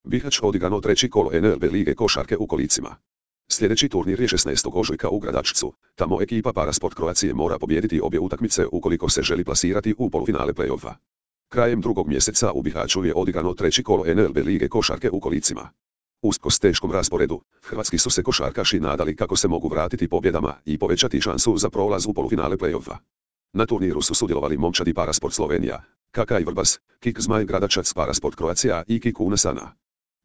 Bihać odigrano treći kolo NLB lige košarke u kolicima. Sljedeći turnir je 16. ožujka u Gradačcu, tamo ekipa Parasport Croatie mora pobijediti obje utakmice ukoliko se želi plasirati u polufinale play-offa. Krajem drugog mjeseca u Bihaću je odigrano treći kolo NLB lige košarke u kolicima. Usprkos teškom rasporedu, hrvatski su se košarkaši nadali kako se mogu vratiti pobjedama i povećati šansu za prolaz u polufinale play-offa. Na turniru su sudjelovali momčadi Parasport Slovenija, KK Vrbas, KIK Zmaj Gradačac Parasport Croatia i KIK Unasana.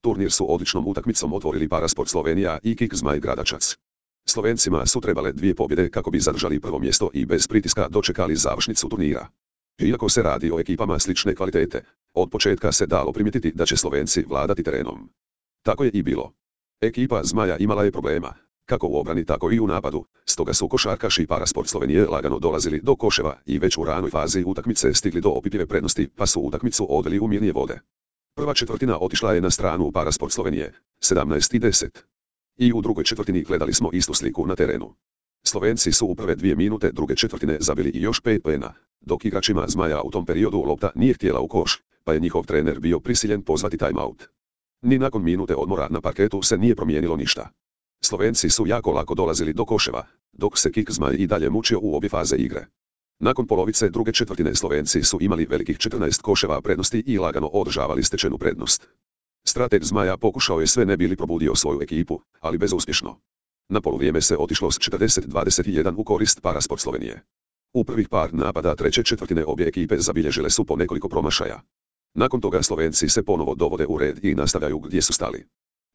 Turnir su odličnom utakmicom otvorili Parasport Slovenija i KIK Zmaj Gradačac. Slovencima su trebale dvije pobjede kako bi zadržali prvo mjesto i bez pritiska dočekali završnicu turnira. Iako se radi o ekipama slične kvalitete, od početka se dalo primijetiti da će Slovenci vladati terenom. Tako je i bilo. Ekipa Zmaja imala je problema, kako u obrani tako i u napadu, stoga su košarkaši Parasport Slovenije lagano dolazili do koševa i već u ranoj fazi utakmice stigli do opipljive prednosti pa su utakmicu odveli u mirnije vode. Prva četvrtina otišla je na stranu Parasport Slovenije, 17:10. I u drugoj četvrtini gledali smo istu sliku na terenu. Slovenci su u prve 2 minute druge četvrtine zabili i još 5 poena, dok igračima Zmaja u tom periodu lopta nije htjela u koš, pa je njihov trener bio prisiljen pozvati timeout. Ni nakon minute odmora na parketu se nije promijenilo ništa. Slovenci su jako lako dolazili do koševa, dok se KIK Zmaj i dalje mučio u obje faze igre. Nakon polovice druge četvrtine Slovenci su imali velikih 14 koševa prednosti i lagano održavali stečenu prednost. Strateg Zmaja pokušao je sve ne bili probudio svoju ekipu, ali bezuspješno. Na poluvrijeme se otišlo s 40-21 u korist Parasport Slovenije. U prvih par napada treće četvrtine obje ekipe zabilježile su po nekoliko promašaja. Nakon toga Slovenci se ponovo dovode u red i nastavljaju gdje su stali.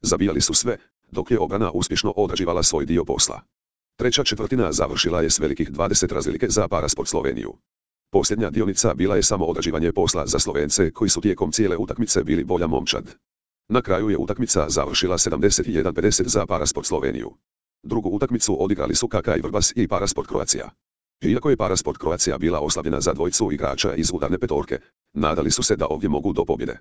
Zabijali su sve, dok je obrana uspješno odrađivala svoj dio posla. Treća četvrtina završila je s velikih 20 razlike za Parasport Sloveniju. Posljednja dionica bila je samo odrađivanje posla za Slovence koji su tijekom cijele utakmice bili bolja momčad. Na kraju je utakmica završila 71:50 za Parasport Sloveniju. Drugu utakmicu odigrali su KK Vrbas i Parasport Croatia. Iako je Parasport Croatia bila oslabljena za dvojicu igrača iz udarne petorke, nadali su se da ovdje mogu do pobjede.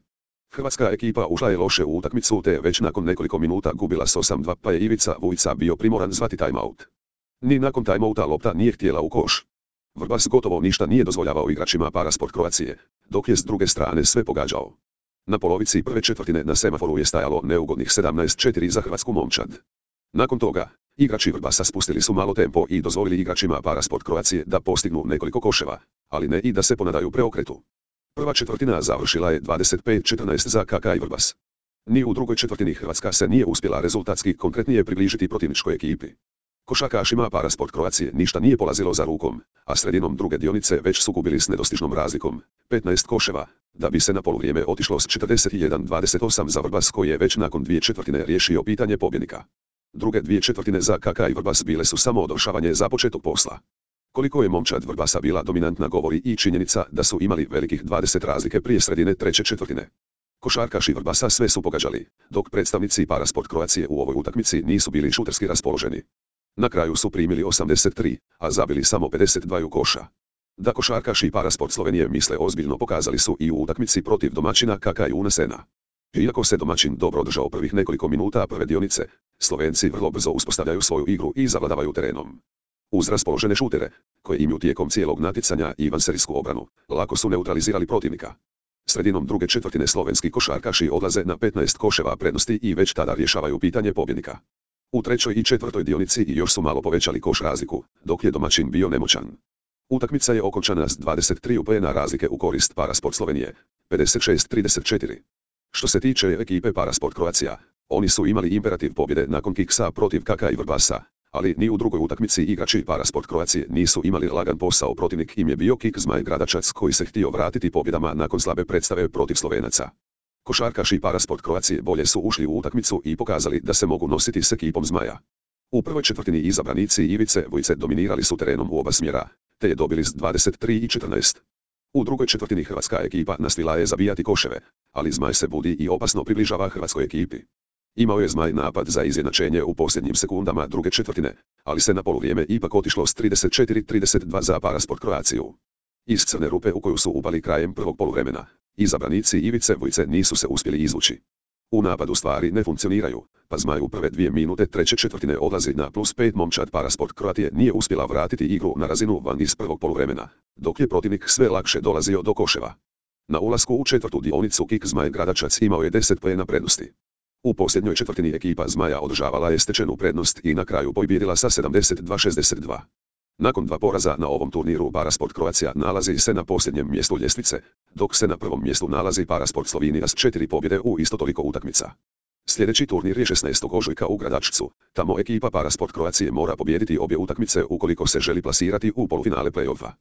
Hrvatska ekipa ušla je loše u utakmicu te već nakon nekoliko minuta gubila s 8:2 pa je Ivica Vujica bio primoran zvati timeout. Ni nakon timeouta lopta nije htjela u koš. Vrbas gotovo ništa nije dozvoljavao igračima Parasport Croatie, dok je s druge strane sve pogađao. Na polovici prve četvrtine na semaforu je stajalo neugodnih 17:4 za hrvatsku momčad. Nakon toga, igrači Vrbasa spustili su malo tempo i dozvolili igračima Parasport Croatie da postignu nekoliko koševa, ali ne i da se ponadaju preokretu. Prva četvrtina završila je 25:14 za KK Vrbas. Ni u drugoj četvrtini Hrvatska se nije uspjela rezultatski konkretnije približiti protivničkoj ekipi. Košarkašima Parasport Croatie ništa nije polazilo za rukom, a sredinom druge dionice već su gubili s nedostižnom razlikom, 15 koševa, da bi se na poluvrijeme otišlo s 41:28 za Vrbas koji je već nakon 2 četvrtine riješio pitanje pobjednika. Druge 2 četvrtine za KK Vrbas bile su samo odršavanje započetog posla. Koliko je momčad Vrbasa bila dominantna govori i činjenica da su imali velikih 20 razlike prije sredine treće četvrtine. Košarkaši Vrbasa sve su pogađali, dok predstavnici Parasport Croatie u ovoj utakmici nisu bili šuterski raspoloženi. Na kraju su primili 83, a zabili samo 52 koša. Da košarkaši Parasport Slovenije misle ozbiljno pokazali su i u utakmici protiv domaćina KK Unasena. Iako se domaćin dobro održao prvih nekoliko minuta prve dionice, Slovenci vrlo brzo uspostavljaju svoju igru i zavladavaju terenom. Uz raspoložene šutere, koje imaju tijekom cijelog natjecanja i vanserijsku obranu, lako su neutralizirali protivnika. Sredinom druge četvrtine slovenski košarkaši odlaze na 15 koševa prednosti i već tada rješavaju pitanje pobjednika. U trećoj i četvrtoj dionici još su malo povećali koš razliku, dok je domaćin bio nemoćan. Utakmica je okončana s 23 poena razlike u korist Parasport Slovenije, 56:34. Što se tiče ekipe Parasport Croatia, oni su imali imperativ pobjede nakon kiksa protiv KK Vrbasa, ali ni u drugoj utakmici igrači Parasport Croatie nisu imali lagan posao, protivnik im je bio KIK Zmaj Gradačac koji se htio vratiti pobjedama nakon slabe predstave protiv Slovenaca. Košarkaši Parasport Croatie bolje su ušli u utakmicu i pokazali da se mogu nositi s ekipom Zmaja. U prvoj četvrtini izabranici Ivice Vujice dominirali su terenom u oba smjera, te je dobili s 23:14. U drugoj četvrtini hrvatska ekipa nastavila je zabijati koševe, ali Zmaj se budi i opasno približava hrvatskoj ekipi. Imao je Zmaj napad za izjednačenje u posljednjim sekundama druge četvrtine, ali se na poluvrijeme ipak otišlo s 34:32 za Parasport Croatiju. Iz crne rupe u koju su upali krajem prvog poluvremena, izabranici Ivice Vujice nisu se uspjeli izvući. U napadu stvari ne funkcioniraju, pa Zmaj u prve 2 minute treće četvrtine odlazi na +5. Momčad Parasport Croatie nije uspjela vratiti igru na razinu van iz prvog poluvremena, dok je protivnik sve lakše dolazio do koševa. Na ulasku u četvrtu dionicu KIK Zmaj Gradačac imao je 10 poena prednosti. U posljednjoj četvrtini ekipa Zmaja održavala je stečenu prednost i na kraju pobijedila sa 72-62. Nakon 2 poraza na ovom turniru Parasport Croatia nalazi se na posljednjem mjestu ljestvice, dok se na prvom mjestu nalazi Parasport Slovenija s 4 pobjede u isto toliko utakmica. Sljedeći turnir je 16. ožujka u Gradačcu, tamo ekipa Parasport Croatia mora pobijediti obje utakmice ukoliko se želi plasirati u polufinale play-offa.